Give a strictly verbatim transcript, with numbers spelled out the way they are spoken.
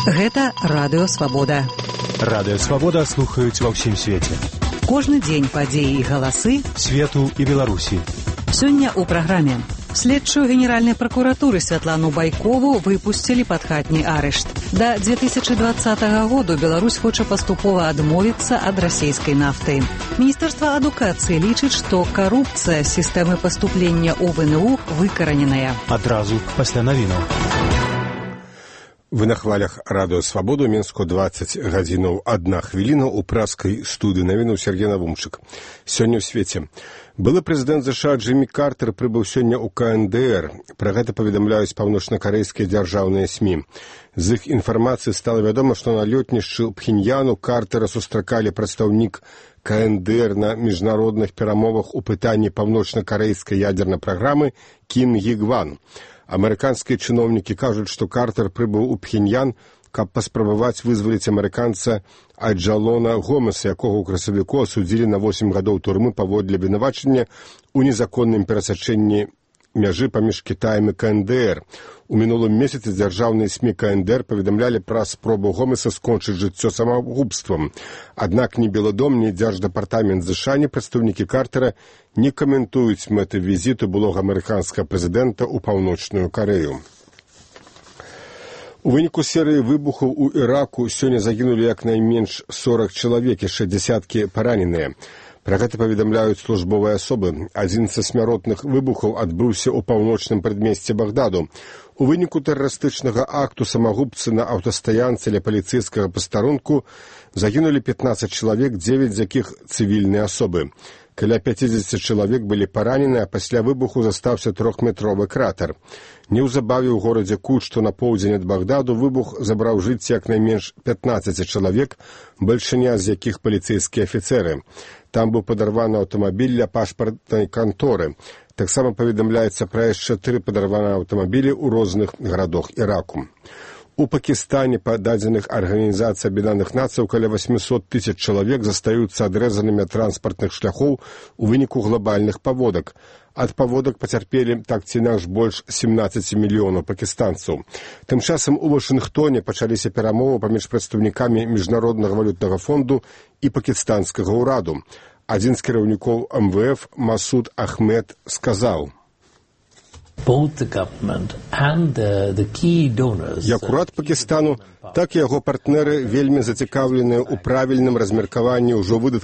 Гэта Радыё Свабода. Радыё Свабода слухаюць ва ўсім свеце. Кожны дзень падзеі і галасы свету і Беларусі. Сёння ў праграме. Следчую Генеральнай пракуратуры Святлану Байкову выпусцілі пад хатні арышт. Да две тысячы двадцатага году Беларусь хоча паступова адмовіцца ад расійскай нафты. Міністэрства адукацыі лічыць, што карупцыя сістэмы паступлення ў ВНУ выкараненая. Адразу пасля навінаў. Вы на хвалях Радыё Свабоду, Менску дваццаць гадзінаў адна хвіліна ў праскай студыі навінаў Сергей Навумчык. Сёння ў свеце. Былы прэзідэнт ЗША Джиммі Картер прыбыў сёння ў КНДР. Пра гэта паведамляюць паўночна-карэйскія дзяржаўныя СМІ. З іх інфармацыі стала вядома, што на лётнішчы ў Пхеньяну Картера сустракалі прадстаўнік КНДР на міжнародных перамовах у пытанні паўночна-карэйскай ядзернай праграмы Кім Гі-гван. Амерыканскія чыноўнікі кажуць, што Картер прыбыў у Пхеньян, каб паспрабаваць вызваліць амерыканца Аджалона Гомеса, якога ў красавіку асудзілі на восем гадоў турмы паводле абвінавачання ў незаконным перасячэнні мяжы паміж Кітаем і КНДР. У мінулым месяцы дзяржаўныя СМІ КНДР паведамлялі пра спробу Гомеса скончыць жыццё самагубствам. Аднак ні Беладом, ні дзярждэпартамент ЗША, ні прадстаўнікі Картера не каментуюць мэты візіту былога амерыканскага прэзідэнта ў Паўночную Карэю. У выніку серыі выбухаў у Іраку сёння загінулі як найменш сорак чалавек, яшчэ дзясяткі параненыя. Пра гэта паведамляюць службовыя асобы. Адзін са смяротных выбухаў адбыўся ў паўночным прадмесці Багдаду. У выніку тэрарыстычнага акту самагубцы на аўтастаянцы ля паліцэйскага пастарунку загінулі пятнаццаць чалавек, дзевяць з якіх цывільныя асобы. Каля пяцідзесят чалавек былі паранены, а пасля выбуху застаўся трохметровы кратер. Неўзабаве ў горадзе Кут, што на поўдзень ад Багдаду, выбух забраў жыцці як найменш пятнаццаць чалавек, бальшыня з якіх паліцэйскія афіцэры. Там быў падарваны аўтамабіль ля пашпартнай канторы. Таксама паведамляецца пра яшчэ тры падарваныя аўтамабілі ў розных гарадах Іраку. У Пакістане, па дадзеных Арганізацыі Аб'яднаных Нацый, каля восемьсот тысяч чалавек застаюцца адрэзанымі ад транспартных шляхоў у выніку глобальных паводак. Ад паводак пацярпелі так ці інакш больш семнаццаць мільёнаў пакістанцаў. Тым часам у Вашынгтоне пачаліся перамовы паміж прадстаўнікамі Міжнароднага валютнага фонду і пакістанскага ўраду. Адзін з кіраўнікоў эм вэ эф Масуд Ахмед сказаў: Як урад Пакістану, так і яго партнеры вельмі зацікаўленыя ў правільным размеркаванні ўжо выдаткаў